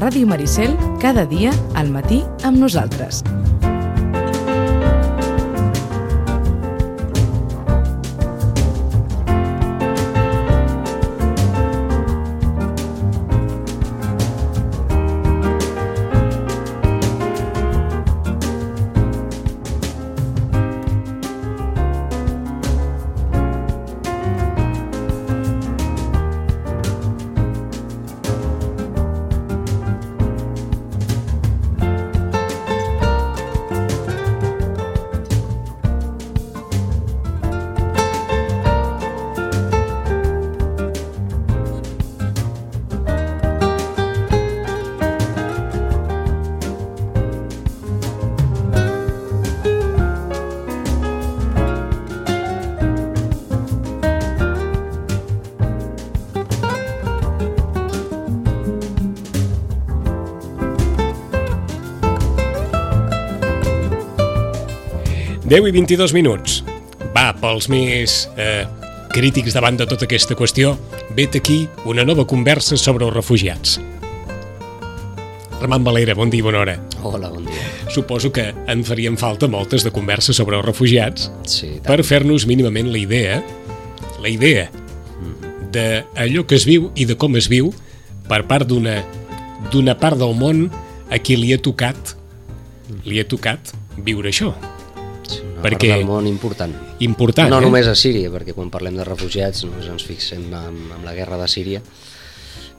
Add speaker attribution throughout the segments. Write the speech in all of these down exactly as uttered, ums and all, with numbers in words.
Speaker 1: Ràdio Maricel, cada dia al matí amb nosaltres.
Speaker 2: deu i vint-i-dos minuts. Va, pels més eh, crítics davant de tota aquesta qüestió, vet aquí una nova conversa sobre els refugiats. Ramon Valera, bon dia i bona hora.
Speaker 3: Hola, bon dia.
Speaker 2: Suposo que en farien falta moltes de converses sobre els refugiats,
Speaker 3: sí,
Speaker 2: per fer-nos mínimament la idea, la idea d'allò que es viu i de com es viu per part d'una d'una part del món a qui li ha tocat, li ha tocat viure això.
Speaker 3: Sí, una
Speaker 2: perquè...
Speaker 3: part del món important.
Speaker 2: Important,
Speaker 3: no
Speaker 2: eh?
Speaker 3: només a Síria, perquè quan parlem de refugiats només ens fixem en, en la guerra de Síria,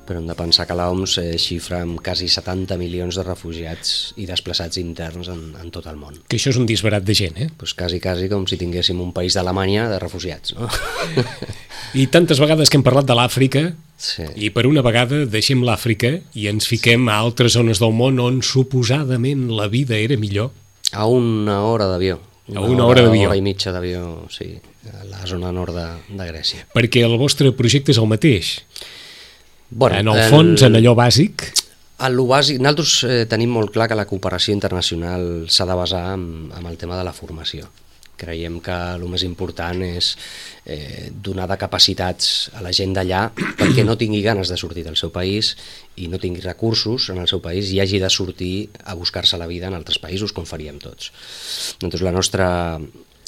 Speaker 3: però hem de pensar que l'O M S eh, xifra amb quasi setanta milions de refugiats i desplaçats interns en, en tot el món.
Speaker 2: Que això és un disbarat de gent, eh?
Speaker 3: Pues quasi, quasi com si tinguéssim un país d'Alemanya de refugiats, no?
Speaker 2: I tantes vegades que hem parlat de l'Àfrica,
Speaker 3: sí.
Speaker 2: I per una vegada deixem l'Àfrica i ens fiquem a altres zones del món on suposadament la vida era millor.
Speaker 3: A una hora d'avió.
Speaker 2: A una hora d'avió.
Speaker 3: Una hora i mitja d'avió, sí, a la zona nord de, de Grècia.
Speaker 2: Perquè el vostre projecte és el mateix.
Speaker 3: Bueno,
Speaker 2: en el fons, el... en allò bàsic...
Speaker 3: En lo bàsic, nosaltres eh, tenim molt clar que la cooperació internacional s'ha de basar en, en el tema de la formació. Creiem que el més important és eh, donar de capacitats a la gent d'allà perquè no tingui ganes de sortir del seu país i no tingui recursos en el seu país i hagi de sortir a buscar-se la vida en altres països, com faríem tots. Doncs la nostra,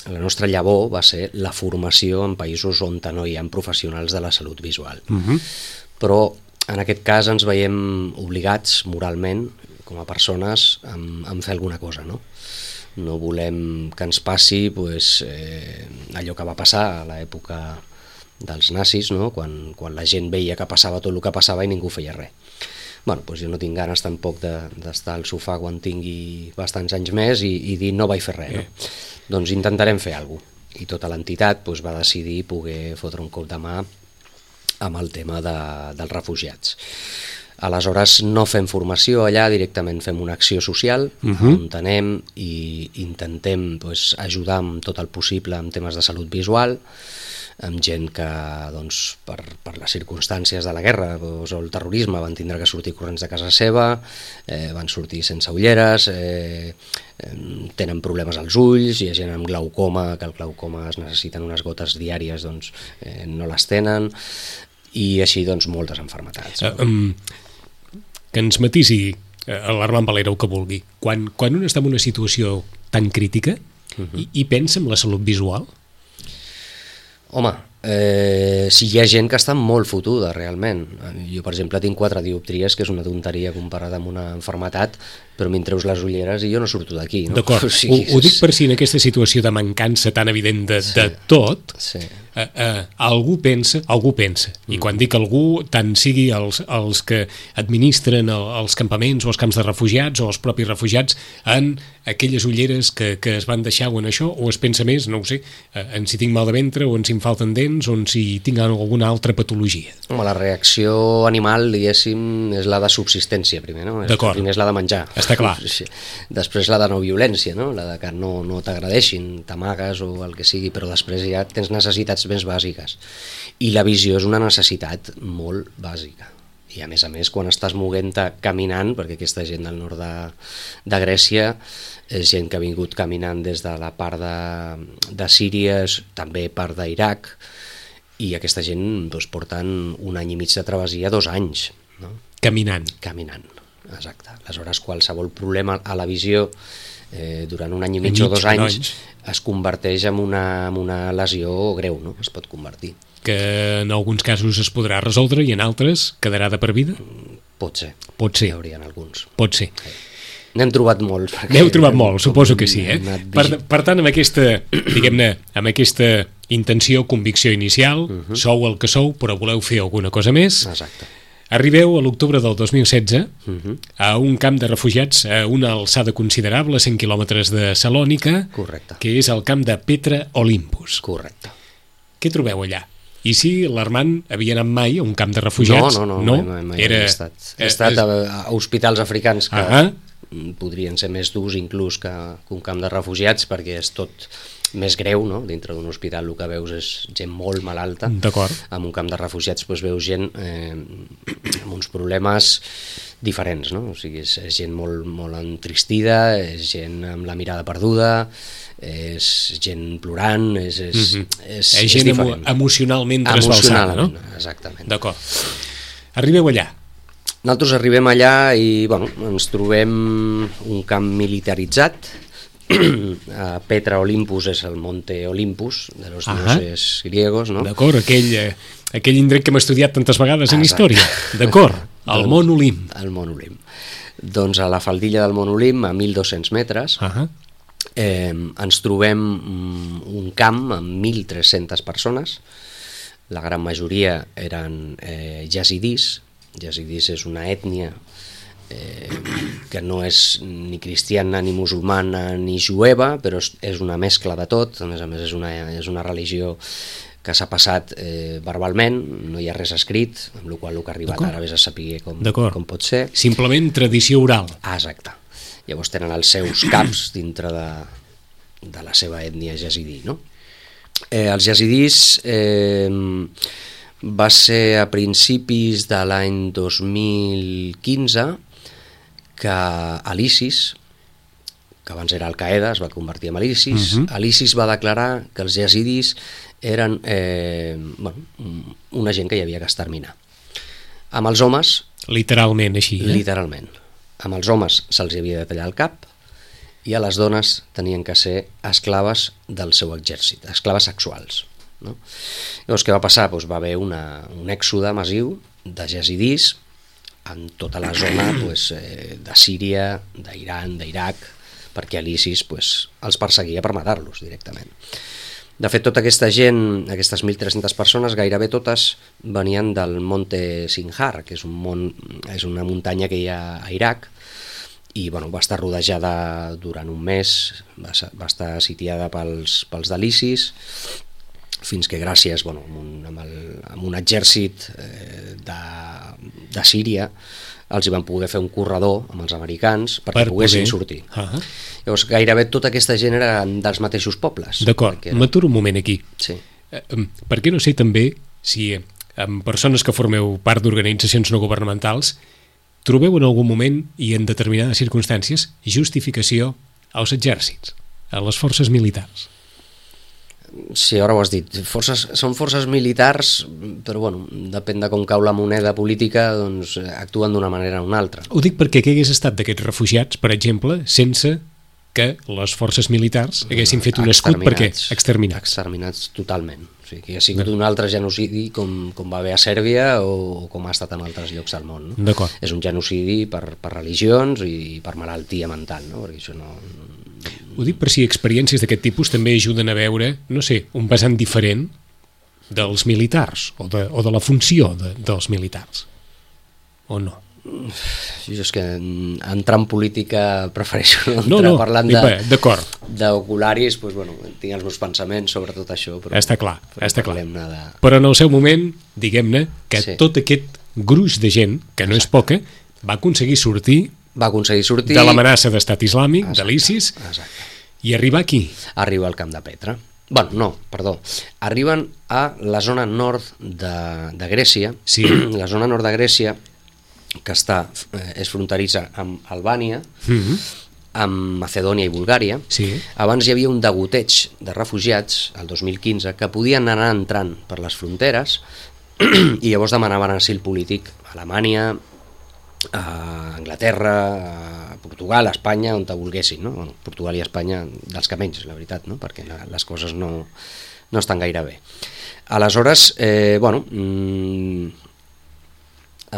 Speaker 3: la nostra llavor va ser la formació en països on no hi ha professionals de la salut visual.
Speaker 2: Uh-huh.
Speaker 3: Però en aquest cas ens veiem obligats moralment, com a persones, a, a fer alguna cosa, no? No volem que ens passi pues, eh, allò que va passar a l'època dels nazis, no? quan, quan la gent veia que passava tot el que passava i ningú feia res. Bueno, pues jo no tinc ganes tampoc d'estar de, al sofà quan tingui bastants anys més i, i dir no vaig fer res. No? Eh. Doncs intentarem fer alguna cosa. I tota l'entitat pues, va decidir poder fotre un cop de mà amb el tema de, dels refugiats. Aleshores no fem formació allà, directament fem una acció social, uh-huh. on anem i intentem pues, ajudar amb tot el possible en temes de salut visual, amb gent que doncs, per, per les circumstàncies de la guerra doncs, o el terrorisme van tindre que sortir corrents de casa seva, eh, van sortir sense ulleres, eh, eh, tenen problemes als ulls, hi ha gent amb glaucoma, que el glaucoma es necessiten unes gotes diàries, doncs eh, no les tenen, i així doncs moltes malalties.
Speaker 2: Uh, um... que ens matisi l'Armand Valera el que vulgui. Quan, quan un està en una situació tan crítica uh-huh. i, i pensa en la salut visual?
Speaker 3: Home, eh, si hi ha gent que està molt fotuda realment. Jo, per exemple, tinc quatre dioptries, que és una tonteria comparada amb una malaltia, però m'hi treus les ulleres i jo no surto d'aquí. No?
Speaker 2: D'acord, o sigui, ho, ho dic per si en aquesta situació de mancança tan evident de, sí. de tot,
Speaker 3: sí.
Speaker 2: eh, eh, algú pensa, algú pensa, mm. i quan dic algú, tant sigui els, els que administren el, els campaments o els camps de refugiats o els propis refugiats, en aquelles ulleres que, que es van deixar o en això, o es pensa més, no ho sé, eh, en si tinc mal de ventre o en si em falten dents o en si tinc alguna altra patologia.
Speaker 3: Home, la reacció animal, diguéssim, és la de subsistència primer, no?
Speaker 2: D'acord.
Speaker 3: Primer és la de menjar.
Speaker 2: Està clar.
Speaker 3: Sí. Després la de no violència, no? La de que no, no t'agredeixin, t'amagues o el que sigui, però després ja tens necessitats més bàsiques. I la visió és una necessitat molt bàsica. I a més a més, quan estàs moguent-te caminant, perquè aquesta gent del nord de, de Grècia és gent que ha vingut caminant des de la part de, de Síria, també part d'Iraq, i aquesta gent doncs, porten un any i mig de travessia, dos anys. No?
Speaker 2: Caminant.
Speaker 3: Caminant. Exacte. Aleshores, qualsevol problema a la visió eh, durant un any i mig,
Speaker 2: mig
Speaker 3: o dos anys,
Speaker 2: anys
Speaker 3: es converteix en una, en una lesió greu, no? Es pot convertir.
Speaker 2: Que en alguns casos es podrà resoldre i en altres quedarà de per vida?
Speaker 3: Pot ser.
Speaker 2: Pot ser.
Speaker 3: Hi haurien alguns.
Speaker 2: Pot ser.
Speaker 3: N'hem trobat molts.
Speaker 2: N'heu trobat molts, suposo que sí, eh? Per,
Speaker 3: Per...
Speaker 2: per tant, amb aquesta, diguem-ne, amb aquesta intenció, convicció inicial, uh -huh. sou el que sou, però voleu fer alguna cosa més.
Speaker 3: Exacte.
Speaker 2: Arribeu a l'octubre del dos mil setze
Speaker 3: Uh -huh.
Speaker 2: a un camp de refugiats a una alçada considerable, a cent quilòmetres de Salònica,
Speaker 3: Correcte.
Speaker 2: que és el camp de Petra Olympus.
Speaker 3: Correcte.
Speaker 2: Què trobeu allà? I si l'Armand havia anat mai a un camp de refugiats?
Speaker 3: No, no, no,
Speaker 2: no?
Speaker 3: mai, mai
Speaker 2: Era...
Speaker 3: he estat. He estat a, a hospitals africans que
Speaker 2: ah
Speaker 3: podrien ser més durs inclús que, que un camp de refugiats, perquè és tot més greu, no? Dintre d'un hospital el que veus és gent molt malalta.
Speaker 2: D'acord.
Speaker 3: En un camp de refugiats doncs, veus gent eh, amb uns problemes diferents, no? O sigui, és, és gent molt, molt entristida, és gent amb la mirada perduda, és gent plorant, és, és,
Speaker 2: mm -hmm.
Speaker 3: és,
Speaker 2: és
Speaker 3: és
Speaker 2: gent
Speaker 3: diferent.
Speaker 2: emocionalment trasbalsada, no?
Speaker 3: Exactament.
Speaker 2: D'acord. Arribeu allà.
Speaker 3: Nosaltres arribem allà i bueno, ens trobem un camp militaritzat. A Petra Olympus és el Monte Olympus de los dioses griegos, no?
Speaker 2: D'acord, aquell, eh, aquell indret que hem estudiat tantes vegades en
Speaker 3: Exacte.
Speaker 2: història. D'acord, el
Speaker 3: doncs,
Speaker 2: Mont Olimp.
Speaker 3: El Mont Olimp. Doncs a la faldilla del Mont Olimp, a mil dos-cents metres,
Speaker 2: Uh -huh.
Speaker 3: eh, ens trobem un camp amb mil tres-centes persones. La gran majoria eren eh, yazidis. Yazidis és una ètnia eh, que no és ni cristiana, ni musulmana, ni jueva, però és, és una mescla de tot. A més a més és una, és una religió que s'ha passat eh, verbalment, no hi ha res escrit, amb la qual cosa el que ha arribat ara vés a saber com, com pot ser.
Speaker 2: Simplement tradició oral.
Speaker 3: Ah, exacte. Llavors tenen els seus caps dintre de, de la seva ètnia yazidí, no? Eh, els yazidís eh, va ser a principis de l'any dos mil quinze que a l'ISIS, que abans era Al-Qaeda, es va convertir en l'ISIS, uh -huh. l'ISIS va declarar que els yazidis eren eh, bueno, una gent que hi havia que exterminar. Amb els homes...
Speaker 2: Literalment així, eh?
Speaker 3: Literalment. Amb els homes se'ls havia de tallar el cap i a les dones tenien que ser esclaves del seu exèrcit, esclaves sexuals. No? Llavors, què va passar? Doncs va haver una, un èxode massiu de yazidis en tota la zona pues, eh, de Síria, d'Iran, d'Iraq, perquè l'ISIS pues, els perseguia per matar-los directament. De fet, tota aquesta gent, aquestes mil tres-centes persones, gairebé totes venien del Monte Sinjar, que és, un mont, és una muntanya que hi ha a Iraq, i bueno, va estar rodejada durant un mes, va, va estar sitiada pels, pels de l'ISIS, fins que gràcies bueno, amb, un, amb, el, amb un exèrcit eh, de, de Síria els hi van poder fer un corredor amb els americans perquè
Speaker 2: per
Speaker 3: poguessin
Speaker 2: poder
Speaker 3: sortir.
Speaker 2: Uh -huh.
Speaker 3: Llavors gairebé tota aquesta gent era dels mateixos pobles.
Speaker 2: D'acord, era... m'aturo un moment aquí.
Speaker 3: Sí.
Speaker 2: Eh, per què no sé també si amb persones que formeu part d'organitzacions no governamentals trobeu en algun moment i en determinades circumstàncies justificació als exèrcits, a les forces militars?
Speaker 3: Sí, ara ho has dit. Forces, són forces militars, però bueno, depèn de com cau la moneda política, doncs actuen d'una manera o una altra.
Speaker 2: Ho dic perquè què hagués estat d'aquests refugiats, per exemple, sense que les forces militars haguessin fet un escut perquè exterminats.
Speaker 3: Exterminats totalment. O sigui, que ha sigut un altre genocidi com, com va haver a Sèrbia o, o com ha estat en altres llocs del món. No?
Speaker 2: D'acord.
Speaker 3: És un genocidi per, per religions i per malaltia mental, no? Perquè això no...
Speaker 2: Ho dic per si experiències d'aquest tipus també ajuden a veure, no sé, un vessant diferent dels militars o de, o de la funció de, dels militars. O no?
Speaker 3: Jo és que entrar en política prefereixo no entrar
Speaker 2: no, no,
Speaker 3: parlant
Speaker 2: d'ocularis,
Speaker 3: doncs, bueno, tinc els meus pensaments sobre tot això. Però,
Speaker 2: està clar,
Speaker 3: però
Speaker 2: està clar.
Speaker 3: De...
Speaker 2: Però en el seu moment, diguem-ne, que
Speaker 3: sí.
Speaker 2: tot aquest gruix de gent, que no
Speaker 3: Exacte.
Speaker 2: és poca, va aconseguir sortir
Speaker 3: va aconseguir sortir
Speaker 2: de l'amenaça d'estat islàmic,
Speaker 3: exacte,
Speaker 2: de l'ISIS,
Speaker 3: exacte.
Speaker 2: i arribar aquí.
Speaker 3: Arriba al camp de Petra. Bueno, no, perdó. Arriben a la zona nord de, de Grècia.
Speaker 2: Sí.
Speaker 3: La zona nord de Grècia, que està, eh, és fronterissa amb Albània,
Speaker 2: Mm-hmm.
Speaker 3: amb Macedònia i Bulgària.
Speaker 2: Sí.
Speaker 3: Abans hi havia un degoteig de refugiats, el dos mil quinze, que podien anar entrant per les fronteres i llavors demanaven asil polític a Alemanya, a Anglaterra, a Portugal, a Espanya, on te volguessin, no? Bueno, Portugal i Espanya, dels que menys, la veritat, no? Perquè la, les coses no, no estan gaire bé. Aleshores, eh, bueno, mmm,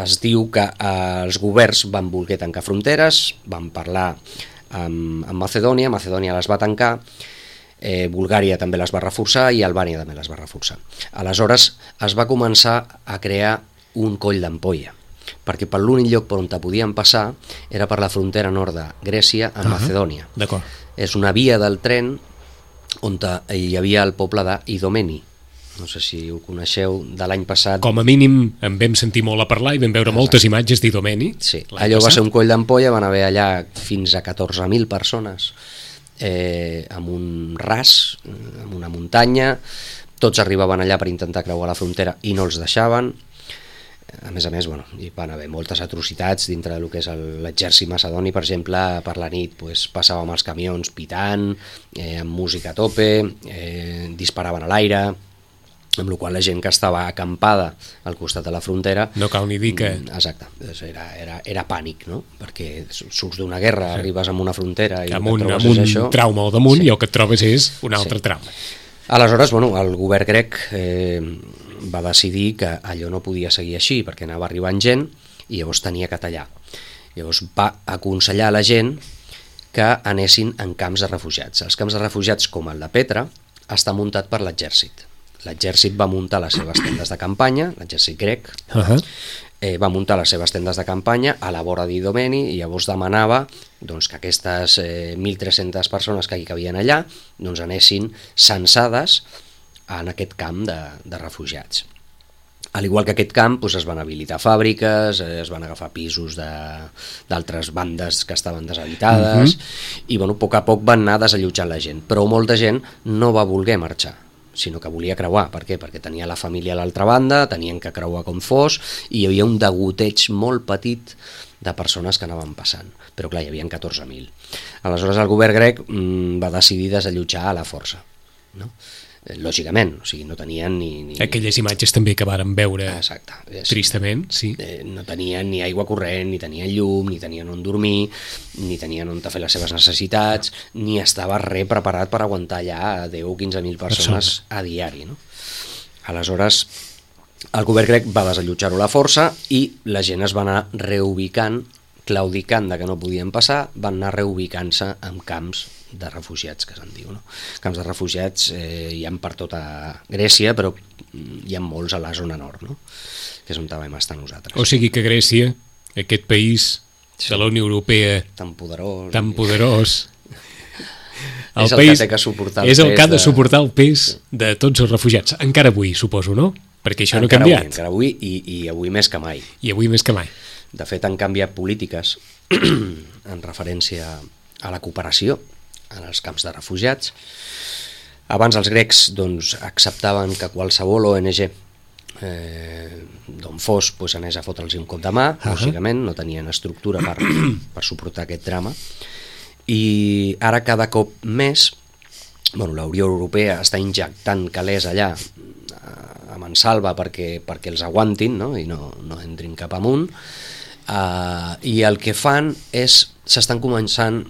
Speaker 3: es diu que els governs van voler tancar fronteres, van parlar amb, amb Macedònia, Macedònia les va tancar, eh, Bulgària també les va reforçar i Albània també les va reforçar. Aleshores es va començar a crear un coll d'ampolla, perquè per l'únic lloc per on te podien passar era per la frontera nord de Grècia amb uh-huh. Macedònia.
Speaker 2: D'acord.
Speaker 3: És una via del tren on te, hi havia el poble d'Idomeni. No sé si ho coneixeu, de l'any passat.
Speaker 2: Com a mínim en vam sentir molt a parlar i vam veure Exacte. moltes imatges d'Idomeni.
Speaker 3: Sí, allò passat. Va ser un coll d'ampolla, van haver allà fins a catorze mil persones eh, amb un ras, amb una muntanya, tots arribaven allà per intentar creuar la frontera i no els deixaven. A més a més, bueno, hi van haver moltes atrocitats dintre del que és l'exèrcit macedoni, per exemple, per la nit pues, passàvem els camions pitant, eh, amb música a tope, eh, disparaven a l'aire, amb la qual la gent que estava acampada al costat de la frontera...
Speaker 2: No cal ni dir que...
Speaker 3: Exacte, era, era, era pànic, no? Perquè surts d'una guerra, sí. arribes a una frontera i
Speaker 2: amb
Speaker 3: el
Speaker 2: un,
Speaker 3: que trobes
Speaker 2: amb un
Speaker 3: és això...
Speaker 2: trauma al damunt sí. i el que et trobes és un altre
Speaker 3: sí.
Speaker 2: trauma.
Speaker 3: Aleshores, bueno, el govern grec eh, va decidir que allò no podia seguir així perquè anava arribant gent i llavors tenia que tallar. Llavors va aconsellar a la gent que anessin en camps de refugiats. Els camps de refugiats, com el de Petra, està muntat per l'exèrcit. L'exèrcit va muntar les seves tendes de campanya, l'exèrcit grec, uh-huh. eh, va muntar les seves tendes de campanya a la vora d'Idomeni i llavors demanava doncs, que aquestes eh, mil tres-centes persones que hi cabien allà doncs, anessin censades en aquest camp de, de refugiats. Al igual que aquest camp doncs, es van habilitar fàbriques, es van agafar pisos d'altres bandes que estaven deshabitades uh-huh. i bueno, a poc a poc van anar desallotjant la gent, però molta gent no va voler marxar, sinó que volia creuar. Per què? Perquè tenia la família a l'altra banda, tenien que creuar com fos, i hi havia un degoteig molt petit de persones que anaven passant. Però clar, hi havia catorze mil. Aleshores el govern grec mmm, va decidir desallotjar a la força, no? Lògicament, o sigui, no tenien ni... ni...
Speaker 2: Aquelles imatges també que vàrem veure
Speaker 3: Exacte.
Speaker 2: tristament, sí.
Speaker 3: Eh, no tenien ni aigua corrent, ni tenien llum, ni tenien on dormir, ni tenien on fer les seves necessitats, ni estava res preparat per aguantar allà deu o quinze mil persones Persona. a diari, no? Aleshores, el govern grec va desallotjar-ho a la força i la gent es va anar reubicant, claudicant de que no podien passar, van anar reubicant-se en camps de refugiats, que se'n diu, no? Camps de refugiats eh, hi ha per tota Grècia, però hi ha molts a la zona nord, no? Que és on vam estar nosaltres.
Speaker 2: O sigui que Grècia, aquest país sí. de la Unió Europea
Speaker 3: tan poderós,
Speaker 2: tan poderós el
Speaker 3: és el
Speaker 2: país,
Speaker 3: que té que suportar el
Speaker 2: és el
Speaker 3: pes
Speaker 2: que ha de
Speaker 3: de...
Speaker 2: suportar el pes de tots els refugiats, encara avui suposo, no? Perquè això no ha canviat.
Speaker 3: Avui, encara avui i, i avui més que mai.
Speaker 2: I avui més que mai.
Speaker 3: De fet, han canviat polítiques en referència a la cooperació en els camps de refugiats. Abans els grecs doncs, acceptaven que qualsevol O N G eh, d'on fos pues, anés a fotre'ls un cop de mà, uh-huh. lògicament, no tenien estructura per, per suportar aquest drama. I ara cada cop més bueno, la Unió Europea està injectant calés allà a mansalva perquè, perquè els aguantin, no? I no, no entrin cap amunt. Uh, I el que fan és, s'estan començant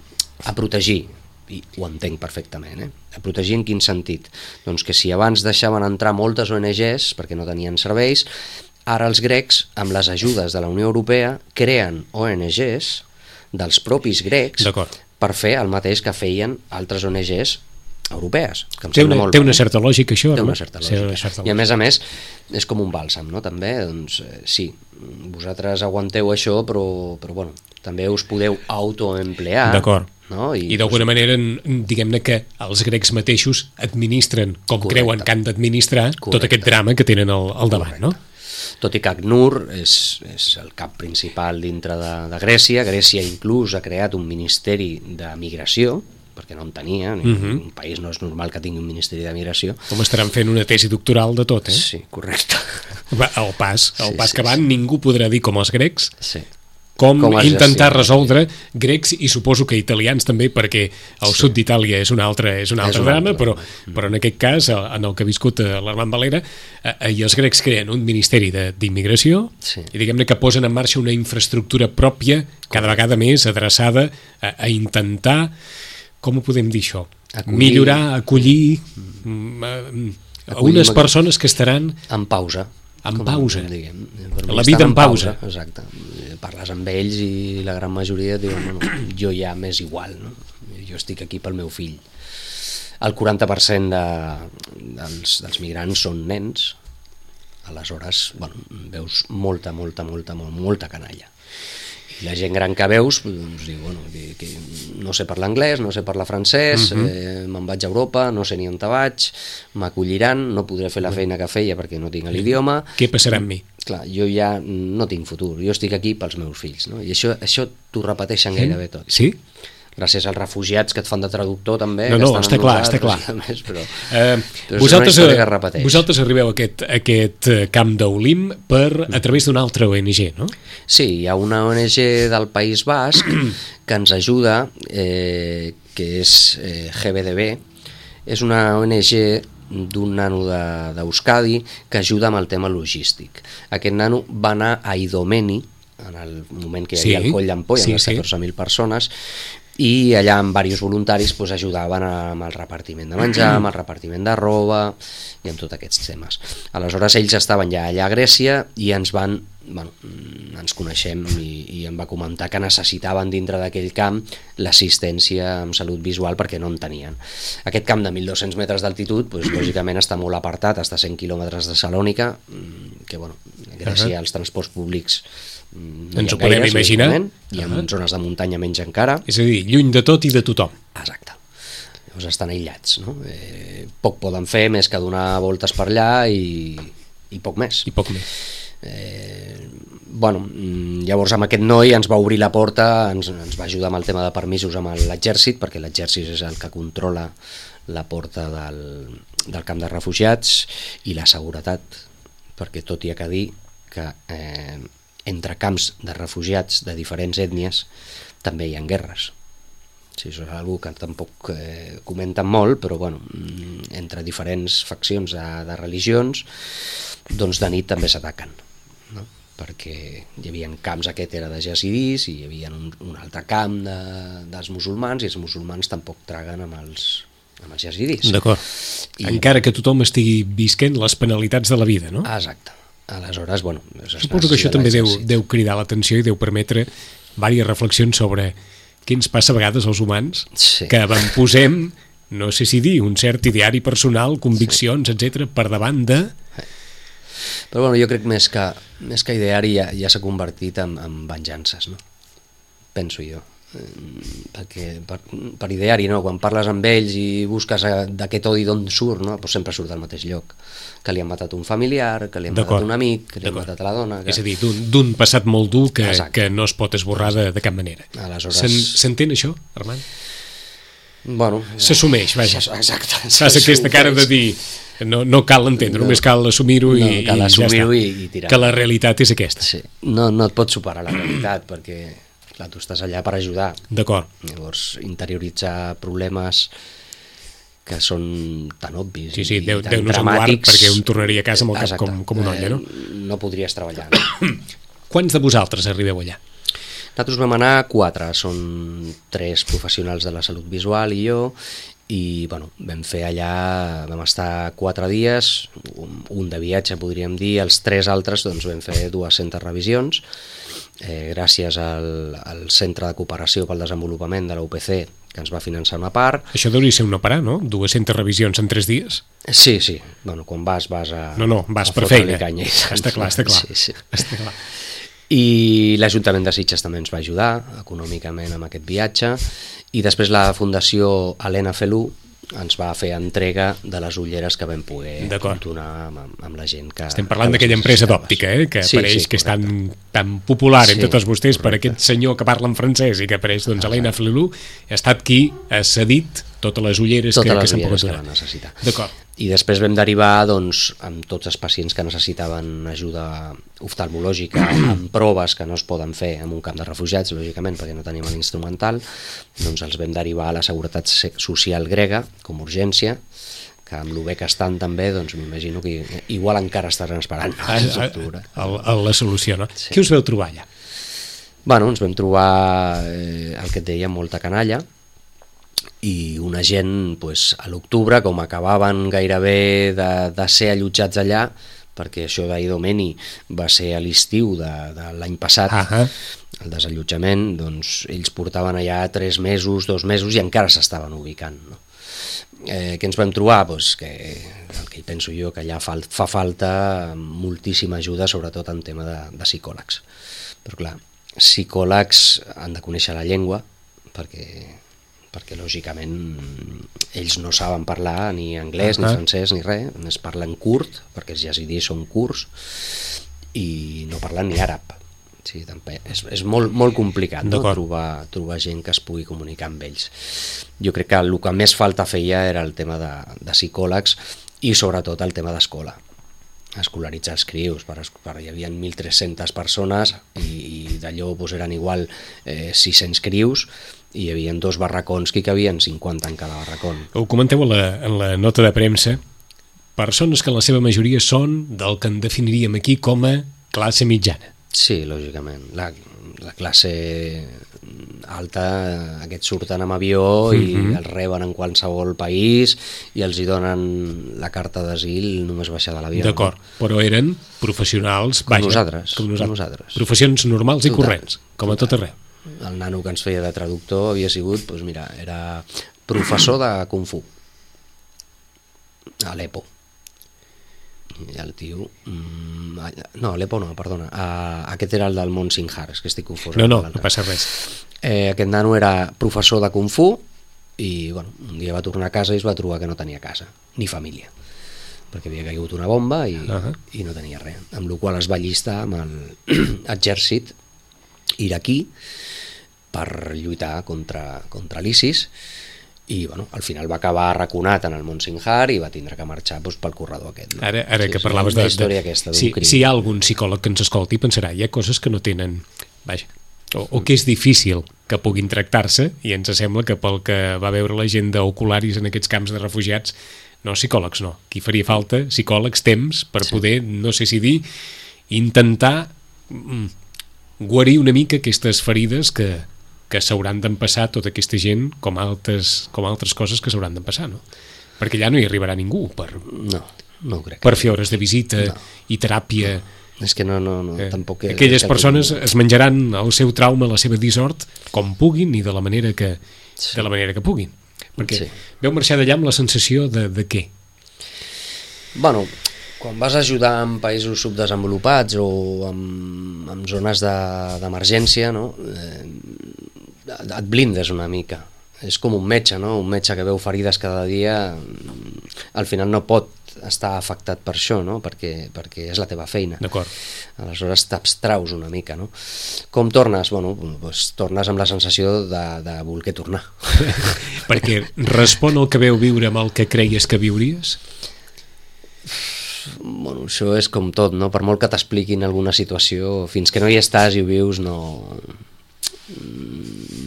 Speaker 3: a protegir, i ho entenc perfectament, eh? A protegir en quin sentit? Doncs que si abans deixaven entrar moltes O N Ges perquè no tenien serveis, ara els grecs, amb les ajudes de la Unió Europea, creen O N Ges dels propis grecs per fer el mateix que feien altres O N Ges europees. Que em
Speaker 2: té una,
Speaker 3: molt
Speaker 2: té una certa lògica això,
Speaker 3: té
Speaker 2: no?
Speaker 3: una certa lògica. Una certa lògica. I a més a més és com un bàlsam, no? També, doncs, eh, sí, vosaltres aguanteu això, però, però bueno, també us podeu autoemplear.
Speaker 2: D'acord.
Speaker 3: No? I,
Speaker 2: I d'alguna manera, diguem-ne que els grecs mateixos administren com Correcte. creuen que han d'administrar tot aquest drama que tenen al, al davant, no?
Speaker 3: Tot i que ACNUR és, és el cap principal dintre de, de Grècia. Grècia inclús ha creat un ministeri de migració, perquè no en tenia, ni uh-huh. un país no és normal que tingui un ministeri de migració.
Speaker 2: Com estaran fent una tesi doctoral de tot, eh?
Speaker 3: Sí, correcte.
Speaker 2: El pas, el
Speaker 3: sí,
Speaker 2: pas
Speaker 3: sí,
Speaker 2: que van,
Speaker 3: sí.
Speaker 2: ningú podrà dir com els grecs
Speaker 3: sí.
Speaker 2: com,
Speaker 3: com
Speaker 2: intentar resoldre grecs i suposo que italians també, perquè el sí. sud d'Itàlia és un altre, és un altre és drama, altre. Però, mm. però en aquest cas, en el que ha viscut l'Armand Valera, eh, i els grecs creen un ministeri d'immigració sí. i diguem-ne que posen en marxa una infraestructura pròpia cada vegada més adreçada a, a intentar, com ho podem dir això? Acollir. Millorar, acollir, mm. a, a unes persones que estaran
Speaker 3: en pausa.
Speaker 2: En pausa,
Speaker 3: diguem.
Speaker 2: La vida en pausa.
Speaker 3: pausa. Exacte. Parles amb ells i la gran majoria diuen, bueno, jo ja m'és igual, no? Jo estic aquí pel meu fill. El quaranta per cent de, dels, dels migrants són nens, aleshores, bueno, veus molta, molta, molta, molta, molta canalla. I la gent gran que veus, doncs diu, bueno, que, que no sé parlar anglès, no sé parlar francès, uh-huh. eh, me'n vaig a Europa, no sé ni on te vaig, m'acolliran, no podré fer la feina que feia perquè no tinc l'idioma.
Speaker 2: Què passarà amb mi?
Speaker 3: Clar, jo ja no tinc futur, jo estic aquí pels meus fills, no? I això, això t'ho repeteixen gairebé tot.
Speaker 2: Sí?
Speaker 3: Gràcies als refugiats que et fan de traductor també.
Speaker 2: No, no, està clar, està clar.
Speaker 3: Més, però,
Speaker 2: eh,
Speaker 3: però
Speaker 2: vosaltres, vosaltres arribeu a aquest, a aquest camp d'Olim per, a través d'una altra O N G, no?
Speaker 3: Sí, hi ha una O N G del País Basc que ens ajuda, eh, que és eh, G B D B, és una O N G d'un nano d'Euskadi que ajuda amb el tema logístic. Aquest nano va anar a Idomeni, en el moment que hi havia sí, el coll d'ampolla, sí, amb les catorze mil sí. persones, i allà amb diversos voluntaris pues, ajudaven amb el repartiment de menjar, amb el repartiment de roba i amb tots aquests temes. Aleshores ells estaven ja allà a Grècia i ens van, bueno, ens coneixem i, i em va comentar que necessitaven dintre d'aquell camp l'assistència en salut visual perquè no en tenien. Aquest camp de mil dos-cents metres d'altitud, pues, lògicament està molt apartat, està a cent quilòmetres de Salònica, que bueno, Grècia, els transports públics no
Speaker 2: ens ho podem imaginar,
Speaker 3: i en uh-huh. zones de muntanya menys encara,
Speaker 2: és a dir, lluny de tot i de tothom.
Speaker 3: Exacte. Llavors estan aïllats, no? Eh, poc poden fer més que donar voltes per allà i, i poc més
Speaker 2: i poc més
Speaker 3: eh, bueno, llavors amb aquest noi ens va obrir la porta, ens, ens va ajudar amb el tema de permisos amb l'exèrcit, perquè l'exèrcit és el que controla la porta del, del camp de refugiats, i la seguretat, perquè tot hi ha que dir que eh, entre camps de refugiats de diferents ètnies també hi ha guerres. Sí, això és una cosa que tampoc eh, comenten molt, però bueno, entre diferents faccions de, de religions, doncs de nit també s'ataquen, no? Perquè hi havia camps, aquest era de jasidís, i hi havia un, un altre camp de, dels musulmans, i els musulmans tampoc traguen amb els, amb els jasidís.
Speaker 2: D'acord. I... encara que tothom estigui visquent les penalitats de la vida, no?
Speaker 3: Exacte. Aleshores, bueno...
Speaker 2: Suposo que això també deu, deu cridar l'atenció i deu permetre diverses reflexions sobre què ens passa a vegades als humans, sí. que avantposem, no sé si dir, un cert ideari personal, conviccions, sí. etcètera, per davant de...
Speaker 3: Però bueno, jo crec més que, més que ideari ja, ja s'ha convertit en, en venjances, no? Penso jo. Perquè per, per ideari, no? Quan parles amb ells i busques d'aquest odi d'on surt, no? Pues sempre surt del mateix lloc, que li han matat un familiar, que li han matat un amic, que li han matat a la dona que...
Speaker 2: És a dir, d'un passat molt dur que, que no es pot esborrar de, de cap manera. S'entén això, Armand?
Speaker 3: Bueno,
Speaker 2: s'assumeix, vaja.
Speaker 3: Exacte.
Speaker 2: Fas aquesta cara de dir no, no cal entendre, no, només cal assumir-ho no, i,
Speaker 3: cal assumir
Speaker 2: i ja
Speaker 3: i, i tirar.
Speaker 2: Que la realitat és aquesta.
Speaker 3: Sí. No, no et pots superar la realitat perquè clar, tu estàs allà per ajudar.
Speaker 2: D'acord.
Speaker 3: Llavors, interioritzar problemes que són tan obvis
Speaker 2: sí, sí,
Speaker 3: i
Speaker 2: Déu,
Speaker 3: tan
Speaker 2: Déu
Speaker 3: dramàtics...
Speaker 2: perquè un tornaria a casa amb el cap com, com una olla, no?
Speaker 3: No podries treballar. No?
Speaker 2: Quants de vosaltres arribeu allà?
Speaker 3: Nosaltres vam anar quatre, són tres professionals de la salut visual i jo, i bueno, vam fer allà, vam estar quatre dies, un, un de viatge podríem dir, els tres altres doncs vam fer dues-centes revisions, eh, gràcies al, al Centre de Cooperació pel Desenvolupament de la U P C, que ens va finançar una part.
Speaker 2: Això hauria ser una parà, no? dues-centes revisions en tres dies?
Speaker 3: Sí, sí. Bueno, quan vas, vas a...
Speaker 2: No, no, vas per feina. Canya, està clar, està clar.
Speaker 3: Sí, sí.
Speaker 2: Està clar.
Speaker 3: I l'Ajuntament de Sitges també ens va ajudar econòmicament amb aquest viatge, i després la Fundació Helena Felú ens va fer entrega de les ulleres que vam poder donar amb, amb la gent que...
Speaker 2: Estem parlant d'aquella empresa d'òptica, eh? que sí, apareix, sí, que és tan, tan popular sí, entre tots vostès, correcte. Per aquest senyor que parla en francès i que apareix, doncs, Helena Felú, ha estat qui ha cedit totes les ulleres
Speaker 3: totes
Speaker 2: que,
Speaker 3: les
Speaker 2: que s'han
Speaker 3: ulleres
Speaker 2: pogut
Speaker 3: que
Speaker 2: donar.
Speaker 3: van necessitar.
Speaker 2: D'acord.
Speaker 3: I després vam derivar doncs, amb tots els pacients que necessitaven ajuda oftalmològica, amb proves que no es poden fer en un camp de refugiats, lògicament, perquè no tenim l'instrumental, doncs els vam derivar a la Seguretat Social grega com a urgència, que amb el bé que estan també, doncs m'imagino que igual encara estaran esperant
Speaker 2: a, a, a, a la solució, no? Sí. Què us veu trobar allà?
Speaker 3: Bueno, ens vam trobar eh, el que et deia, molta canalla, i una gent pues, a l'octubre, com acabaven gairebé de, de ser allotjats allà, perquè això d'Idomeni va ser a l'estiu de, de l'any passat, uh -huh. el desallotjament, doncs ells portaven allà tres mesos, dos mesos i encara s'estaven ubicant, no? Eh, què ens vam trobar? Pues que el que hi penso jo, que allà fa, fa falta moltíssima ajuda, sobretot en tema de, de psicòlegs. Però clar, psicòlegs han de conèixer la llengua, perquè perquè lògicament ells no saben parlar ni anglès, uh -huh. ni francès, ni res, només parlen kurd, perquè els yazidis són kurds, i no parlen ni àrab. Sí, també és, és molt, molt complicat, no? trobar, trobar gent que es pugui comunicar amb ells. Jo crec que el que més falta feia era el tema de, de psicòlegs i sobretot el tema d'escola, escolaritzar els crius, per, per, hi havia mil tres-centes persones i, i d'allò doncs, eren igual eh, sis-cents crius, i hi havia dos barracons que hi cabien cinquanta en cada barracón.
Speaker 2: Ho comenteu en la, en la nota de premsa, persones que en la seva majoria són del que en definiríem aquí com a classe mitjana.
Speaker 3: Sí, lògicament. La, la classe alta, aquests surten amb avió i uh-huh. els reben en qualsevol país i els hi donen la carta d'asil només baixar de l'avió.
Speaker 2: D'acord, no? Però eren professionals...
Speaker 3: Com,
Speaker 2: vaja,
Speaker 3: nosaltres,
Speaker 2: com nosaltres.
Speaker 3: Com nosaltres.
Speaker 2: Professions normals
Speaker 3: Total,
Speaker 2: i corrents, com
Speaker 3: total.
Speaker 2: a tot arreu.
Speaker 3: El nano que ens feia de traductor havia sigut, doncs mira, era professor de Kung Fu a Aleppo. I el tio... No, Aleppo no, perdona. Aquest era el del Mont Sinjar, és que estic confós.
Speaker 2: No, no, no passa res.
Speaker 3: Eh, aquest nano era professor de Kung Fu i bueno, un dia va tornar a casa i es va trobar que no tenia casa, ni família, perquè havia caigut una bomba i, uh-huh. i no tenia res. Amb la qual es va allistar amb l'exèrcit iraquí per lluitar contra, contra l'ISIS i bueno, al final va acabar arraconat en el Mont Sinjar i va tindre que marxar doncs, pel corredor aquest. No?
Speaker 2: Ara, ara
Speaker 3: sí,
Speaker 2: que parlaves de...
Speaker 3: història aquesta,
Speaker 2: si, si hi ha algun psicòleg que ens escolti pensarà, hi ha coses que no tenen... Vaja, o, o que és difícil que puguin tractar-se i ens sembla que pel que va veure la gent d'ocularis en aquests camps de refugiats, no, psicòlegs no. Aquí faria falta psicòlegs, temps, per sí. poder, no sé si dir, intentar mm, guarir una mica aquestes ferides que, que s'hauran d'empassar tota aquesta gent com altres, com altres coses que s'hauran d'empassar, no? Perquè allà no hi arribarà ningú per,
Speaker 3: no, no ho crec.
Speaker 2: per fer hores de visita no. i teràpia.
Speaker 3: No. És que no, no, no, eh, tampoc... És,
Speaker 2: aquelles
Speaker 3: és
Speaker 2: persones
Speaker 3: que...
Speaker 2: es menjaran el seu trauma, la seva dissort, com puguin i de la manera que, sí. de la manera que puguin. Perquè sí. veu marxar d'allà amb la sensació de, de què?
Speaker 3: Bueno, quan vas ajudar en països subdesenvolupats o en, en zones d'emergència, no? eh, et blindes una mica. És com un metge, no? Un metge que veu ferides cada dia, al final no pot estar afectat per això, no? perquè, perquè és la teva feina.
Speaker 2: D'acord.
Speaker 3: Aleshores t'abstraus una mica, no? Com tornes? Bueno, doncs tornes amb la sensació de, de voler tornar.
Speaker 2: Perquè respon al que veu viure amb el que creies que viuries?
Speaker 3: Bueno, això és com tot, no? Per molt que t'expliquin alguna situació, fins que no hi estàs i ho vius, no...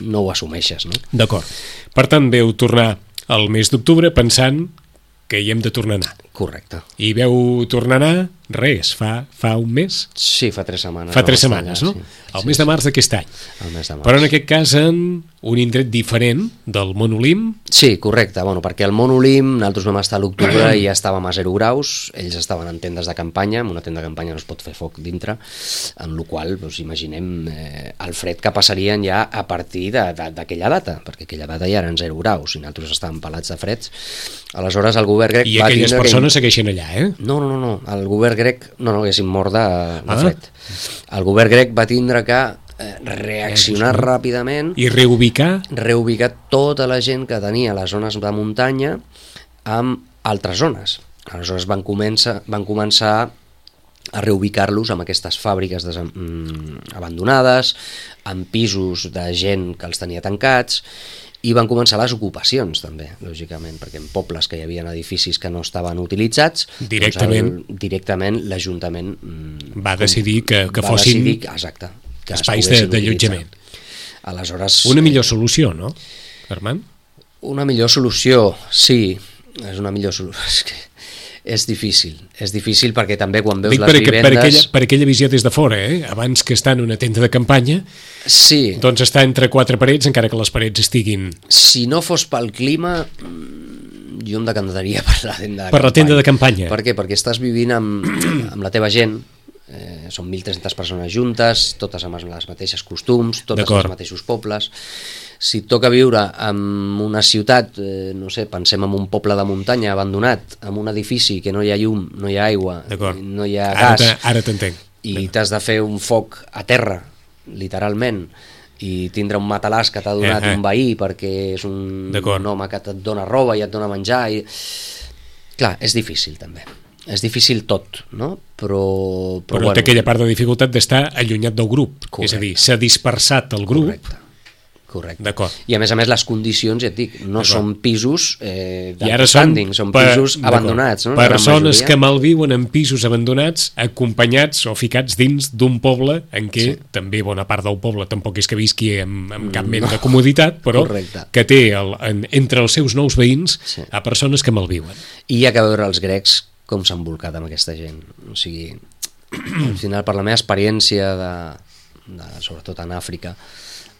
Speaker 3: no ho assumeixes, no?
Speaker 2: D'acord. Per tant, veu tornar al mes d'octubre pensant que hi hem de tornar a anar.
Speaker 3: Correcte.
Speaker 2: I veu tornar a anar, res, fa, fa un mes?
Speaker 3: Sí, fa tres setmanes.
Speaker 2: Fa tres setmanes, allà, no? Sí. El sí, mes de març sí. d'aquest any.
Speaker 3: El mes de març.
Speaker 2: Però en aquest cas en un indret diferent del Mont Olim.
Speaker 3: Sí, correcte, bueno, perquè el Mont Olim nosaltres vam estar a l'octubre i ja estàvem a zero graus, ells estaven en tendes de campanya, en una tenda de campanya no es pot fer foc dintre, en la qual doncs, imaginem eh, el fred que passarien ja a partir d'aquella data, perquè aquella data ja eren zero graus i nosaltres estàvem pelats de freds. Aleshores el govern grec...
Speaker 2: I
Speaker 3: va
Speaker 2: aquelles persones
Speaker 3: que...
Speaker 2: segueixen allà, eh?
Speaker 3: No, no, no, no, el govern grec no, no haguessin mort de, de fred. Ah. El govern grec va tindre que eh, reaccionar eh, ràpidament
Speaker 2: i reubicar
Speaker 3: reubicar tota la gent que tenia les zones de muntanya amb altres zones. Aleshores van començar, van començar a reubicar-los amb aquestes fàbriques des, mm, abandonades, amb pisos de gent que els tenia tancats I van començar les ocupacions, també, lògicament, perquè en pobles que hi havia edificis que no estaven utilitzats,
Speaker 2: directament,
Speaker 3: doncs el, directament l'Ajuntament
Speaker 2: va decidir que, que
Speaker 3: va
Speaker 2: fossin
Speaker 3: decidir, exacte, que
Speaker 2: espais d'allotjament.
Speaker 3: Aleshores,
Speaker 2: una millor solució, no, Armand?
Speaker 3: Una millor solució, sí, és una millor solució. És que és difícil, és difícil perquè també quan veus
Speaker 2: Dic
Speaker 3: les
Speaker 2: per,
Speaker 3: vivendes...
Speaker 2: Per aquella, per aquella visió des de fora, eh? Abans que estar en una tenda de campanya,
Speaker 3: sí.
Speaker 2: Doncs està entre quatre parets, encara que les parets estiguin...
Speaker 3: Si no fos pel clima, jo em decantaria per la tenda de
Speaker 2: per
Speaker 3: campanya.
Speaker 2: la tenda de campanya.
Speaker 3: Per què? Perquè estàs vivint amb, amb la teva gent, eh, són mil tres-centes persones juntes, totes amb les mateixes costums, totes als mateixos pobles. Si et toca viure en una ciutat, eh, no sé, pensem en un poble de muntanya abandonat, en un edifici que no hi ha llum, no hi ha aigua, no hi ha gas,
Speaker 2: ara t'entenc.
Speaker 3: I t'has de fer un foc a terra, literalment, i tindre un matalàs que t'ha donat uh -huh. un veí perquè és un, un home que et dona roba i et dona menjar. I... Clar, és difícil també. És difícil tot, no? Però, però,
Speaker 2: però
Speaker 3: bueno,
Speaker 2: té aquella part de dificultat d'estar allunyat del grup. Correcte. És a dir, s'ha dispersat el grup.
Speaker 3: Correcte. Correcte.
Speaker 2: D'acord.
Speaker 3: I a més a més les condicions, ja et dic, no són pisos eh,
Speaker 2: d'upstanding,
Speaker 3: són, són pisos abandonats. No?
Speaker 2: Persones que malviuen en pisos abandonats, acompanyats o ficats dins d'un poble en què sí. també bona part del poble tampoc és que visqui amb, amb cap mena no. de comoditat, però Correcte. que té el, en, entre els seus nous veïns sí. a persones que malviuen.
Speaker 3: I hi ha que veure els grecs com s'han volcat amb aquesta gent. O sigui, al final, per la meva experiència, de, de, sobretot en Àfrica,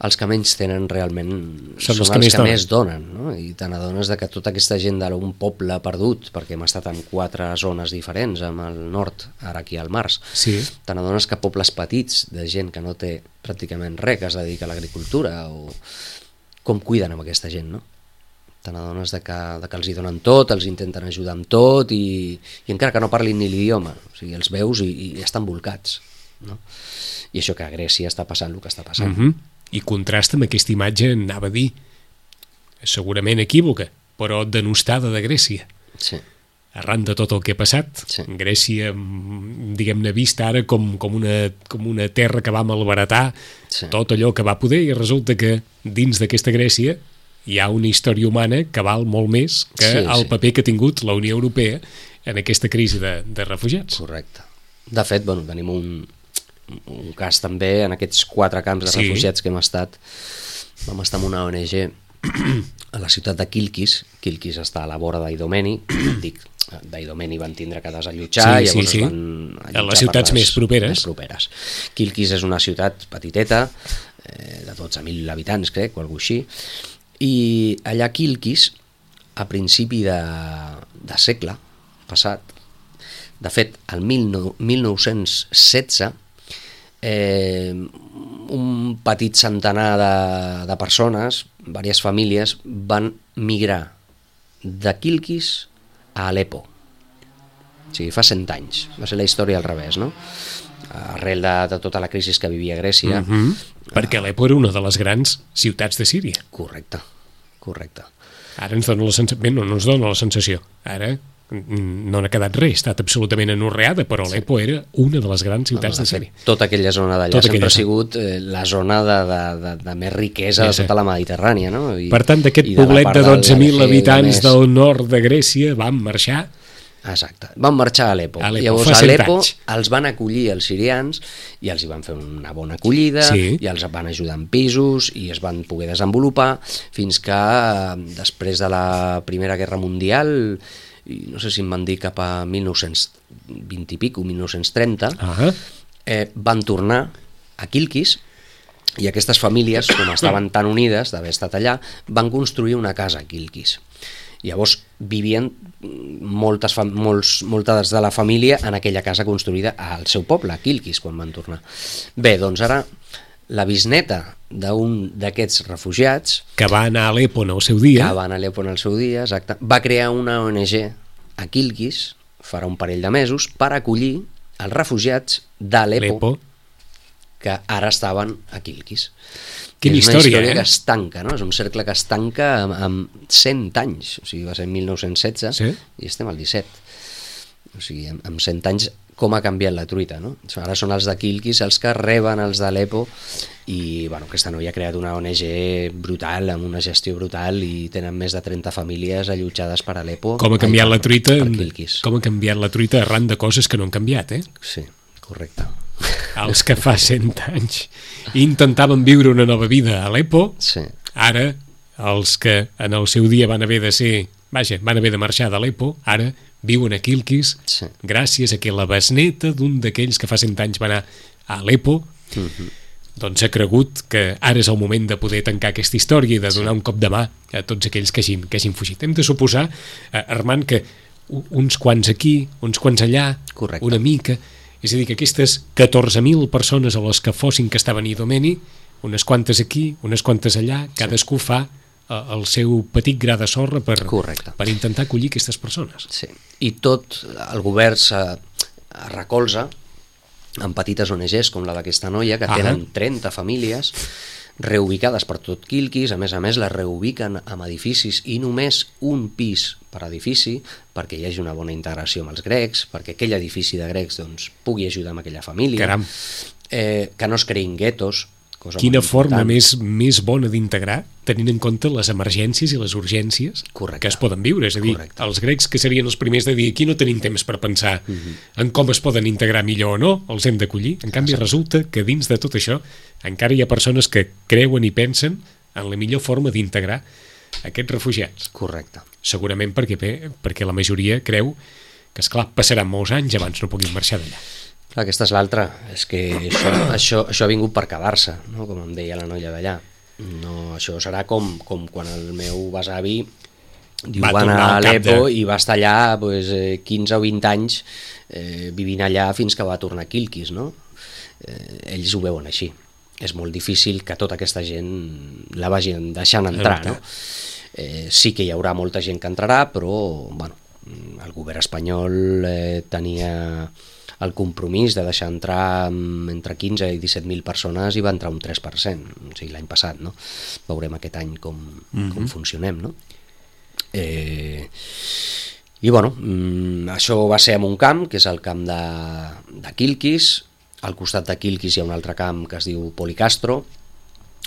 Speaker 3: els que menys tenen realment són, són els que, els que més donen, no? I te n'adones de que tota aquesta gent d'un poble perdut, perquè hem estat en quatre zones diferents, amb el nord, ara aquí al març,
Speaker 2: sí.
Speaker 3: te n'adones que pobles petits de gent que no té pràcticament res, que es dedica a l'agricultura, o com cuiden amb aquesta gent, no? Te n'adones de que, de que els hi donen tot, els intenten ajudar amb tot, i, i encara que no parlin ni l'idioma, o sigui, els veus i, i estan volcats, no? I això que a Grècia està passant el que està passant.
Speaker 2: Mhm. I contrasta amb aquesta imatge, anava a dir, segurament equívoca, però denostada de Grècia.
Speaker 3: Sí.
Speaker 2: Arran de tot el que ha passat, sí. Grècia, diguem-ne, vista ara com, com, una, com una terra que va malbaratar sí. tot allò que va poder, i resulta que dins d'aquesta Grècia hi ha una història humana que val molt més que sí, el sí. paper que ha tingut la Unió Europea en aquesta crisi de, de refugiats.
Speaker 3: Correcte. De fet, bueno, tenim un... un cas també en aquests quatre camps de sí. refugiats que hem estat. Vam estar amb una O N G a la ciutat de Kilkis. Kilkis està a la vora d'Idomeni, dic, d'Idomeni van tindre que desallotjar,
Speaker 2: sí,
Speaker 3: llavors
Speaker 2: sí, sí.
Speaker 3: van allotjar
Speaker 2: a les ciutats
Speaker 3: les,
Speaker 2: més properes.
Speaker 3: més properes. Kilkis és una ciutat petiteta, eh, de dotze mil habitants, crec, o alguna cosa així, i allà a Kilkis, a principi de, de segle passat, de fet, el mil nou-cents setze, Eh, un petit centenar de, de persones, diverses famílies, van migrar de Kilkis a Aleppo. O sigui, fa cent anys. Va ser la història al revés, no? Arrel de, de tota la crisi que vivia Grècia.
Speaker 2: Mm-hmm. Perquè Aleppo era una de les grans ciutats de Síria.
Speaker 3: Correcte, correcte.
Speaker 2: Ara ens dona la sensació, bé, no, no ens dona la sensació. Ara no n'ha quedat res, ha estat absolutament anorreada, però Aleppo sí. era una de les grans ciutats no, no, de Síria.
Speaker 3: Tota aquella zona d'allà tota sempre ha sigut eh, la zona de, de, de, de més riquesa sí, sí. de tota la Mediterrània. No? I,
Speaker 2: per tant, d'aquest poblet de dotze mil habitants més... del nord de Grècia van marxar...
Speaker 3: Exacte, van marxar a Aleppo.
Speaker 2: Aleppo.
Speaker 3: Llavors a Aleppo els van acollir els sirians i els hi van fer una bona acollida sí. i els van ajudar en pisos i es van poder desenvolupar fins que després de la Primera Guerra Mundial, i no sé si em van dir cap a mil nou-cents vint i pico, mil nou-cents trenta, uh-huh. eh, van tornar a Kilkis i aquestes famílies, com estaven tan unides d'haver estat allà, van construir una casa a Kilkis. Llavors vivien moltes, molts, moltes de la família en aquella casa construïda al seu poble, a Kilkis, quan van tornar. Bé, doncs ara la bisneta d'un d'aquests refugiats...
Speaker 2: Que va anar a Aleppo en el seu dia.
Speaker 3: Que va anar a Aleppo en el seu dia, exacte. Va crear una O N G a Kilkis, farà un parell de mesos, per acollir els refugiats d'Aleppo que ara estaven a Kilkis.
Speaker 2: Quina
Speaker 3: és
Speaker 2: història,
Speaker 3: una història
Speaker 2: eh?
Speaker 3: que es tanca, no? És un cercle que es tanca amb, amb cent anys, o sigui, va ser en mil nou-cents setze sí? I estem al disset. O sigui, amb, amb cent anys com ha canviat la truita, no? Ara són els de Kilkis els que reben els d'Alepo i bueno, aquesta noia ha creat una O N G brutal, amb una gestió brutal i tenen més de trenta famílies allotjades per Alepo.
Speaker 2: Com ha canviat la truita, com ha canviat la truita arran de coses que no han canviat, eh?
Speaker 3: Sí, correcte.
Speaker 2: Els que fa cent anys intentaven viure una nova vida a Alepo,
Speaker 3: sí.
Speaker 2: Ara els que en el seu dia van haver de ser, vaja, van haver de marxar d'Alepo, ara viuen a Kilkis, sí. Gràcies a que la besneta d'un d'aquells que fa cent anys va anar a Alepo, uh-huh. doncs ha cregut que ara és el moment de poder tancar aquesta història i de donar sí. un cop de mà a tots aquells que hagin, que hagin fugit. Hem de suposar, eh, Armand, que uns quants aquí, uns quants allà, correcte. Una mica, és a dir, que aquestes catorze mil persones a les que fossin que estaven a Idomeni, unes quantes aquí, unes quantes allà, cadascú sí. fa el seu petit gra de sorra per, per intentar acollir aquestes persones.
Speaker 3: Sí. I tot el govern se recolza en petites O N Ges com la d'aquesta noia, que tenen ah. trenta famílies reubicades per tot Kilkis, a més a més les reubiquen en edificis i només un pis per edifici perquè hi hagi una bona integració amb els grecs, perquè aquell edifici de grecs doncs, pugui ajudar amb aquella família.
Speaker 2: Caram.
Speaker 3: Eh, que no es creïn guetos.
Speaker 2: Quina forma més, més bona d'integrar, tenint en compte les emergències i les urgències Correcte. Que es poden viure. És a dir, Correcte. Els grecs que serien els primers de dir aquí no tenim temps per pensar uh-huh. en com es poden integrar millor o no, els hem d'acollir. En canvi, resulta que dins de tot això encara hi ha persones que creuen i pensen en la millor forma d'integrar aquests refugiats.
Speaker 3: Correcte.
Speaker 2: Segurament perquè, perquè la majoria creu que, esclar, passaran molts anys abans no puguin marxar d'allà.
Speaker 3: Aquesta és l'altra, és que això, això, això ha vingut per quedar-se, no? Com em deia la noia d'allà. No, això serà com, com quan el meu besavi diu, va, va anar a Alepo de... i va estar allà pues, quinze o vint anys eh, vivint allà fins que va tornar a Kilkis, no? Eh, ells ho veuen així. És molt difícil que tota aquesta gent la vagin deixant entrar, no? Eh, sí que hi haurà molta gent que entrarà, però bueno, el govern espanyol eh, tenia el compromís de deixar entrar entre quinze i disset mil persones i va entrar un tres per cent, o sigui, l'any passat, no? Veurem aquest any com, mm-hmm. com funcionem, no? Eh, I bueno, mm, això va ser en un camp, que és el camp de, de Kilkis. Al costat de Kilkis hi ha un altre camp que es diu Policastro.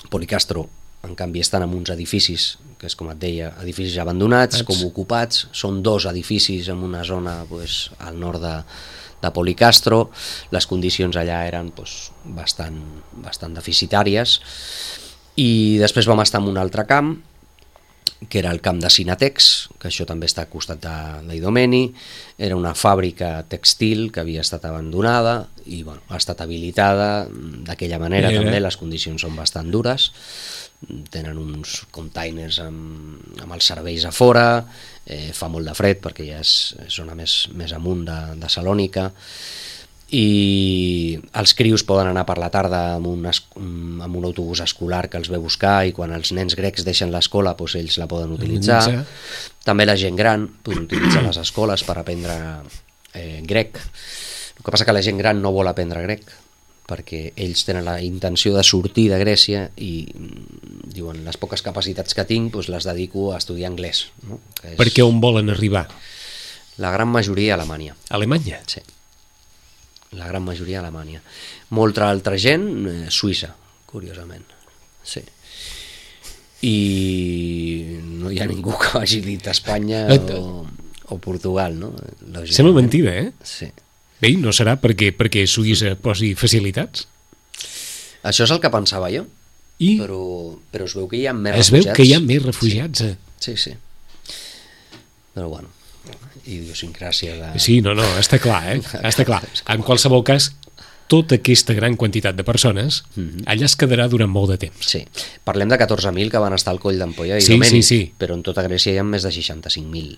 Speaker 3: Policastro, en canvi, estan en uns edificis, que és com et deia, edificis abandonats, Ets. com ocupats. Són dos edificis en una zona pues, al nord de, de Policastro. Les condicions allà eren pues, bastant, bastant deficitàries. I després vam estar en un altre camp, que era el camp de Sinatex, que això també està al costat d'Idomeni. Era una fàbrica textil que havia estat abandonada i bueno, ha estat habilitada d'aquella manera. Era. També les condicions són bastant dures, tenen uns containers amb, amb els serveis a fora, eh, fa molt de fred perquè ja és zona més, més amunt de, de Salònica, i els crios poden anar per la tarda amb un, es, amb un autobús escolar que els ve a buscar, i quan els nens grecs deixen l'escola doncs ells la poden utilitzar. També la gent gran pot utilitzar les escoles per aprendre eh, grec. El que passa que la gent gran no vol aprendre grec perquè ells tenen la intenció de sortir de Grècia i diuen les poques capacitats que tinc doncs les dedico a estudiar anglès, no? Que és...
Speaker 2: Perquè on volen arribar?
Speaker 3: La gran majoria a Alemanya.
Speaker 2: Alemanya?
Speaker 3: Sí. La gran majoria a Alemanya. Molta altra gent, eh, Suïssa, curiosament. Sí. I no hi ha ningú que hagi dit Espanya o, o Portugal, no?
Speaker 2: Sembla mentida, eh?
Speaker 3: Sí.
Speaker 2: Bé, no serà perquè, perquè Suïssa posi facilitats?
Speaker 3: Això és el que pensava jo.
Speaker 2: I?
Speaker 3: Però, però es veu que hi ha més
Speaker 2: es
Speaker 3: refugiats.
Speaker 2: Es veu que hi ha més refugiats.
Speaker 3: Sí, sí. sí. Però bueno, idiosincràsia de...
Speaker 2: Sí, no, no, està clar, eh? Està clar. En qualsevol cas, tota aquesta gran quantitat de persones mm-hmm. allà es quedarà durant molt de temps.
Speaker 3: Sí, parlem de catorze mil que van estar al Coll d'Ampolla i
Speaker 2: sí,
Speaker 3: Idomeni,
Speaker 2: sí, sí.
Speaker 3: però en tota Grècia hi ha més de seixanta-cinc mil.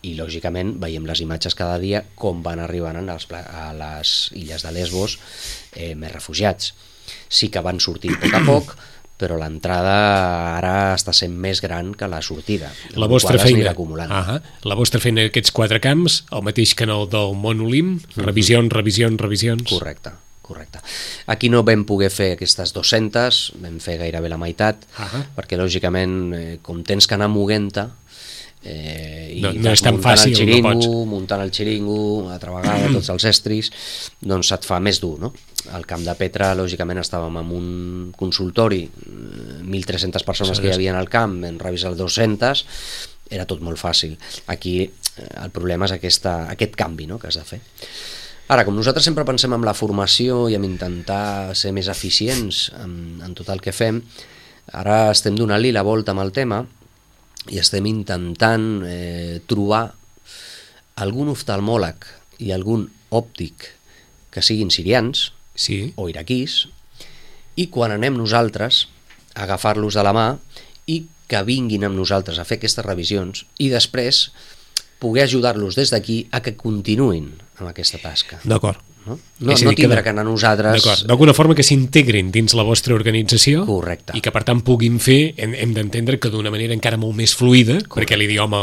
Speaker 3: I lògicament veiem les imatges cada dia com van arribant a les, a les illes de Lesbos eh, més refugiats. Sí que van sortint a poc a poc, però l'entrada ara està sent més gran que la sortida.
Speaker 2: La vostra feina, uh-huh. la vostra feina en aquests quatre camps, el mateix canal del Mont Olim, mm-hmm. revisions, revisions, revisions...
Speaker 3: Correcte, correcte. Aquí no vam poder fer aquestes dues-centes, vam fer gairebé la meitat, uh-huh. perquè lògicament, eh, com tens que anar moguent-te, Eh, i
Speaker 2: no, no és tan fàcil,
Speaker 3: el xiringo,
Speaker 2: no pots.
Speaker 3: muntant el xiringo, altra vegada tots els estris, doncs se't fa més dur, no? Al Camp de Petra, lògicament, estàvem en un consultori, mil tres-centes persones sí, que hi havia al camp, en revisar dos-centes, era tot molt fàcil. Aquí el problema és aquesta, aquest canvi, no?, que has de fer. Ara, com nosaltres sempre pensem en la formació i en intentar ser més eficients en, en tot el que fem, ara estem donant-li la volta amb el tema i estem intentant eh, trobar algun oftalmòleg i algun òptic que siguin sirians
Speaker 2: sí.
Speaker 3: o iraquís, i quan anem nosaltres a agafar-los de la mà i que vinguin amb nosaltres a fer aquestes revisions i després poder ajudar-los des d'aquí a que continuïn amb aquesta tasca.
Speaker 2: D'acord.
Speaker 3: No, no, no tindre que, que anar nosaltres...
Speaker 2: D'acord, d'alguna forma que s'integrin dins la vostra organització.
Speaker 3: Correcte. I
Speaker 2: que per tant puguin fer, hem, hem d'entendre que d'una manera encara molt més fluida, correcte, perquè l'idioma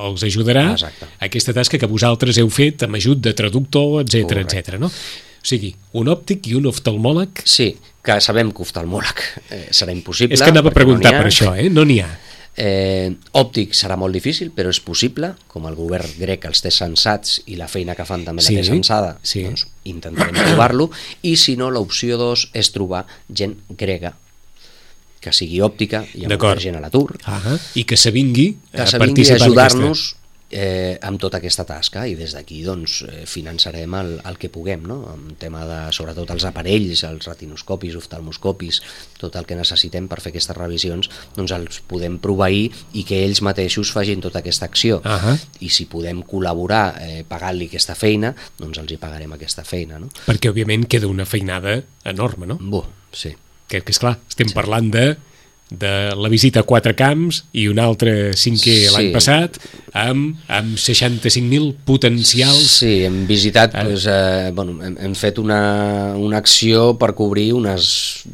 Speaker 2: els ajudarà.
Speaker 3: Exacte.
Speaker 2: Aquesta tasca que vosaltres heu fet amb ajut de traductor, etcètera, etcètera, no? O sigui, un òptic i un oftalmòleg...
Speaker 3: Sí, que sabem que oftalmòleg eh, serà impossible.
Speaker 2: És que anava a preguntar no per això, eh? No n'hi ha.
Speaker 3: Eh, òptic serà molt difícil, però és possible, com el govern grec els té censats i la feina que fan també la
Speaker 2: sí,
Speaker 3: té censada,
Speaker 2: sí.
Speaker 3: doncs intentarem trobar-lo, i si no, l'opció dos és trobar gent grega que sigui òptica, hi ha molta gent a l'atur,
Speaker 2: ah, i que s'avingui
Speaker 3: a ajudar-nos eh, amb tota aquesta tasca, i des d'aquí doncs, eh, finançarem el, el que puguem, no? En tema de, sobretot els aparells, els retinoscopis, oftalmoscopis, tot el que necessitem per fer aquestes revisions, doncs els podem proveir i que ells mateixos facin tota aquesta acció.
Speaker 2: Uh-huh.
Speaker 3: I si podem col·laborar eh, pagant-li aquesta feina, doncs els hi pagarem aquesta feina, no?
Speaker 2: Perquè òbviament queda una feinada enorme, no?
Speaker 3: Bo, sí.
Speaker 2: Que, que esclar, estem
Speaker 3: sí.
Speaker 2: parlant de de la visita a quatre camps i un altre cinquè sí. l'any passat amb, amb seixanta-cinc mil potencials.
Speaker 3: Sí, hem visitat, eh? Pues, eh, bueno, hem, hem fet una, una acció per cobrir unes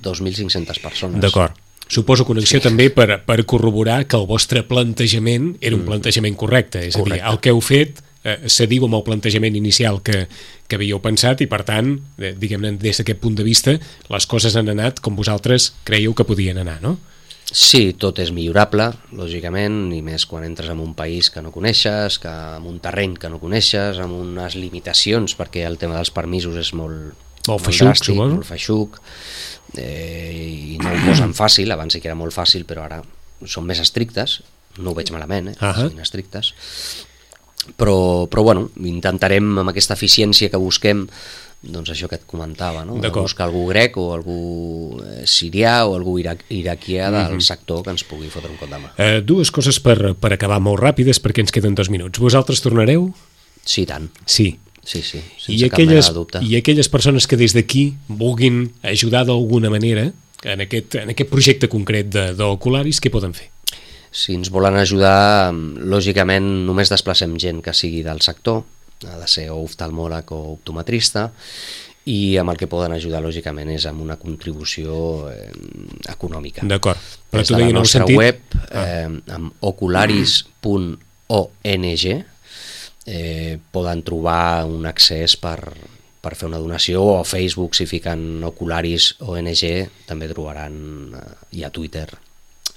Speaker 3: dos mil cinc-centes persones.
Speaker 2: D'acord. Suposo que una acció sí. també per, per corroborar que el vostre plantejament era un mm. plantejament correcte, és correcte. A dir, el que heu fet eh, s'adiu amb el plantejament inicial que, que havíeu pensat i per tant, eh, diguem-ne, des d'aquest punt de vista les coses han anat com vosaltres creieu que podien anar, no?
Speaker 3: Sí, tot és millorable, lògicament, i més quan entres en un país que no coneixes, que en un terreny que no coneixes, amb unes limitacions, perquè el tema dels permisos és molt,
Speaker 2: molt feixuc, dràstic, suposo.
Speaker 3: Molt feixuc, eh, i no ho posen fàcil, abans sí que era molt fàcil, però ara són més estrictes, no ho veig malament, eh, uh-huh. són estrictes, però, però bueno, intentarem amb aquesta eficiència que busquem, doncs això que et comentava, no? Buscar algú grec o algú sirià o algú irac iraquià del mm-hmm. sector que ens pugui fotre un cop de mà.
Speaker 2: Uh, dues coses per, per acabar molt ràpides perquè ens queden dos minuts. Vosaltres tornareu?
Speaker 3: Sí, tant.
Speaker 2: Sí.
Speaker 3: Sí, sí, sense
Speaker 2: I
Speaker 3: cap
Speaker 2: aquelles,
Speaker 3: mena de dubte.
Speaker 2: I aquelles persones que des d'aquí vulguin ajudar d'alguna manera en aquest, en aquest projecte concret d'Ocularis, què poden fer?
Speaker 3: Si ens volen ajudar, lògicament només desplacem gent que sigui del sector, ha de ser o oftalmòleg o optometrista, i amb el que poden ajudar lògicament és amb una contribució eh, econòmica.
Speaker 2: D'acord.
Speaker 3: Però des de la nostra sentit... web, eh, amb ocularis punt ong, eh, poden trobar un accés per, per fer una donació, o a Facebook, si fiquen Ocularis O N G, també trobaran, eh, i a Twitter,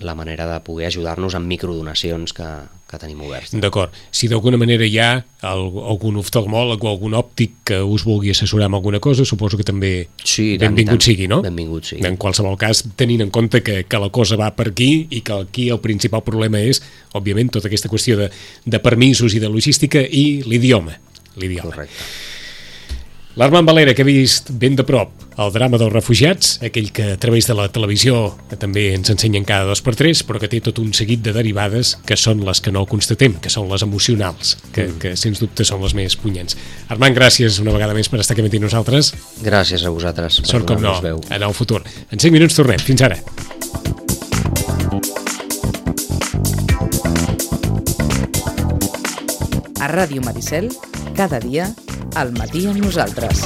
Speaker 3: la manera de poder ajudar-nos amb microdonacions que, que tenim oberts.
Speaker 2: D'acord. Si d'alguna manera hi ha algun oftalmòleg o algun òptic que us vulgui assessorar amb alguna cosa, suposo que també
Speaker 3: sí,
Speaker 2: benvingut sigui, no?
Speaker 3: Benvingut sigui.
Speaker 2: En qualsevol cas, tenint en compte que, que la cosa va per aquí i que aquí el principal problema és, òbviament, tota aquesta qüestió de, de permisos i de logística i l'idioma. L'idioma.
Speaker 3: Correcte.
Speaker 2: L'Armand Valera, que ha vist ben de prop el drama dels refugiats, aquell que a través de la televisió també ens ensenyen cada dos per tres, però que té tot un seguit de derivades que són les que no constatem, que són les emocionals, que, mm. que sens dubte són les més punyents. Armand, gràcies una vegada més per estar aquí amb nosaltres.
Speaker 3: Gràcies a vosaltres.
Speaker 2: Sort com no, en el futur. En cinc minuts tornem. Fins ara.
Speaker 1: A Ràdio Maricel, cada dia, al matí amb nosaltres.